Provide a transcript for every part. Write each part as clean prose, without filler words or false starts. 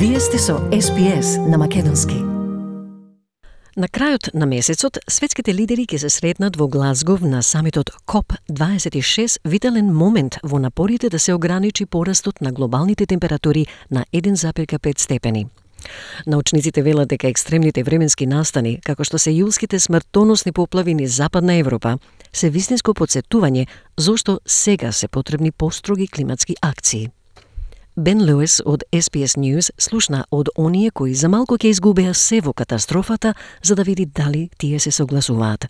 Вие сте со SPS на македонски. На крајот на месецот, светските лидери ќе се сретнат во Глазгов на самитот COP26, витален момент во напорите да се ограничи порастот на глобалните температури на 1,5 степени. Научниците велат дека екстремните временски настани, како што се јулските смртоносни поплави низ Западна Европа, се вистинско потсетување зошто сега се потребни построги климатски акции. Бен Луис од SBS News слушна од оние кои за малку ќе изгубеа се во катастрофата, за да види дали тие се согласуваат.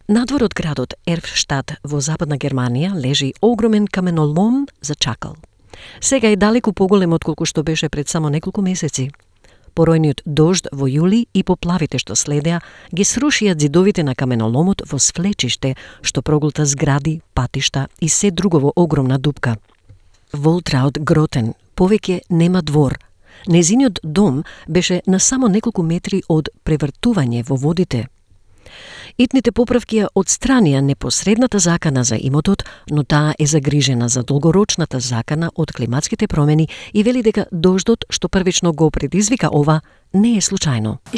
Надвор од градот Ерфштад во Западна Германија лежи огромен каменолом за чакал. Сега е далеку поголем отколку што беше пред само неколку месеци. Поројниот дожд во јули и поплавите што следеа ги срушија ѕидовите на каменоломот во свлечиште што проголта згради, патишта и се друго во огромна дупка. Волтраут Гротен повеќе нема двор. Незиниот дом беше на само неколку метри од превртување во водите. Итните поправки ја отстранија непосредната закана за имотот, но таа е загрижена за долгорочната закана од климатските промени и вели дека дождот што првично го предизвика ова не е случајно. I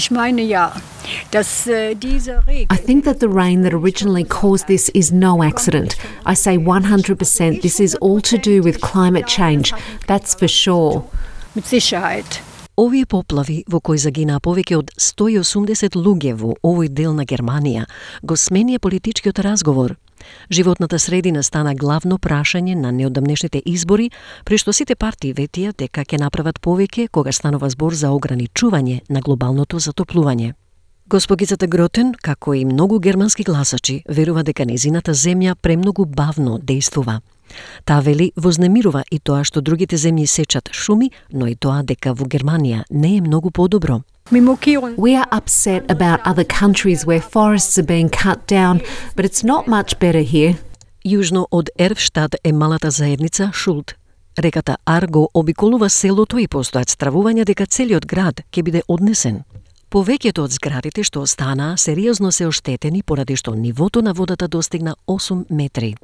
think that the rain that originally caused this is no accident. I say 100% this is all to do with climate change. That's for sure. Овие поплави, во кои загинаа повеќе од 180 луѓе во овој дел на Германија, го сменија политичкиот разговор. Животната средина стана главно прашање на неодамнешните избори, при што сите партии ветија дека ќе направат повеќе кога станува збор за ограничување на глобалното затоплување. Госпогицата Гротен, како и многу германски гласачи, верува дека незината земја премногу бавно дејствува. Таа вели вознемирува и тоа што другите земји сечат шуми, но и тоа дека во Германија не е многу подобро. We are upset about other countries where forests are being cut down, but it's not much better here. Јужно од Ерфштад е малата заедница Шулт. Реката Арго обиколува селото и постојат стравувања дека целиот град ќе биде однесен. Повеќето од зградите што останаа сериозно се оштетени поради што нивото на водата достигна 8 метри.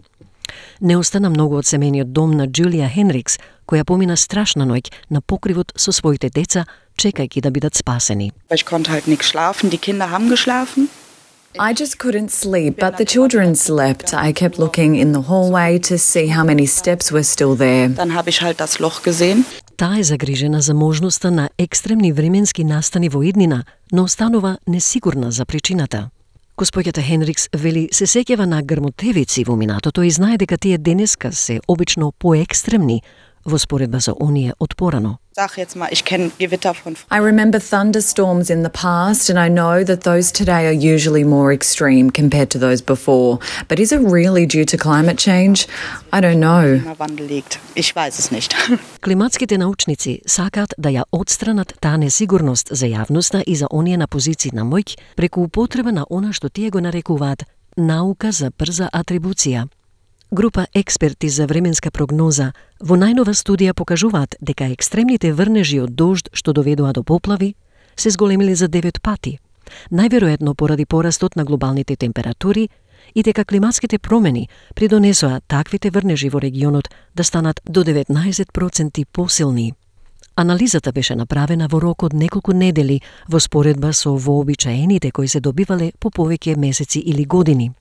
Не остана многу од семејниот дом на Джулија Хенрикс, која помина страшна ноќ на покривот со своите деца, чекајќи да бидат спасени. Ich konnte halt nicht schlafen, die Kinder haben geschlafen. I just couldn't sleep, but the children slept. I kept looking in the hallway to see how many steps were still there. Dann habe ich halt das Loch gesehen. Таа е загрижена за можноста на екстремни временски настани во иднина, но останува несигурна за причината. Госпоѓата Хенрикс вели се сеќава на грмотевици во минатото и знае дека тие денеска се обично поекстремни во споредба со оние од порано. Sag jetzt mal, ich kenne Gewitter von I remember thunderstorms in the past, and I know that those today are usually more extreme compared to those before. But is it really due to climate change? I don't know. Klimawandel liegt. Ich weiß es nicht. Климатските научници сакаат да ја отстранат таа несигурност за јавноста и за оние на позиции на моќ преку употреба на она што тие го нарекуваат наука за брза атрибуција. Група експерти за временска прогноза во најнова студија покажуваат дека екстремните врнежи од дожд што доведоа до поплави се зголемиле за 9 пати, најверојатно поради порастот на глобалните температури и дека климатските промени придонесоа таквите врнежи во регионот да станат до 19% посилни. Анализата беше направена во рок од неколку недели во споредба со вообичаените кои се добивале по повеќе месеци или години.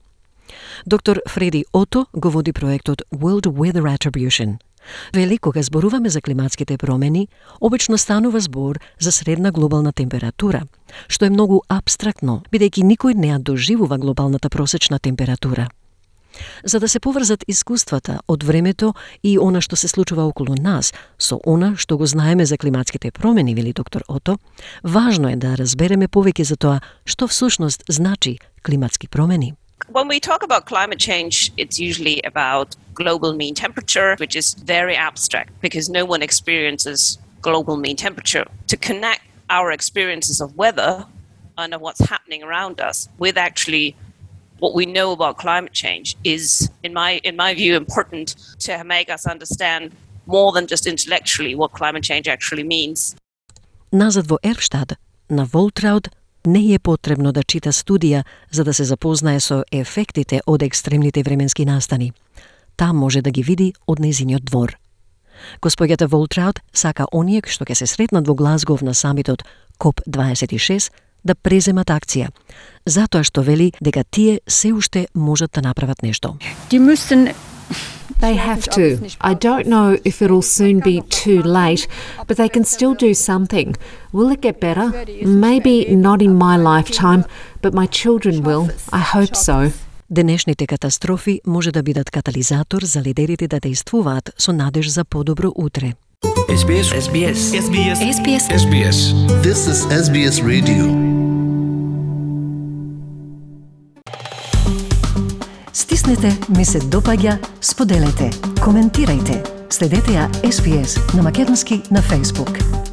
Доктор Фреди Ото го води проектот World Weather Attribution. Вели, кога зборуваме за климатските промени, обично станува збор за средна глобална температура, што е многу апстрактно, бидејќи никој не ја доживува глобалната просечна температура. За да се поврзат искуствата од времето и она што се случува околу нас со она што го знаеме за климатските промени, вели доктор Ото, важно е да разбереме повеќе за тоа што всушност значи климатски промени. When we talk about climate change, it's usually about global mean temperature, which is very abstract because no one experiences global mean temperature. To connect our experiences of weather and of what's happening around us with actually what we know about climate change is, in my view, important to make us understand more than just intellectually what climate change actually means. Назад во Ерфштад, на Волтраут, Не е потребно да чита студија за да се запознае со ефектите од екстремните временски настани. Таа може да ги види од нејзиниот двор. Госпоѓата Волтраут сака оние што ќе се сретнат во Глазгов на самитот COP26 да преземат акција, затоа што вели дека тие се уште можат да направат нешто. They have to. I don't know if it'll soon be too late, but they can still do something. Will it get better? Maybe not in my lifetime, but my children will. I hope so. Денешните катастрофи може да бидат катализатор за лидерите да действуваат со надеж за подобро утре. SBS. SBS. SBS. SBS. SBS. This is SBS Radio. Стиснете, ми се допаѓа, споделете, коментирајте. Следете ја SBS на македонски на Facebook.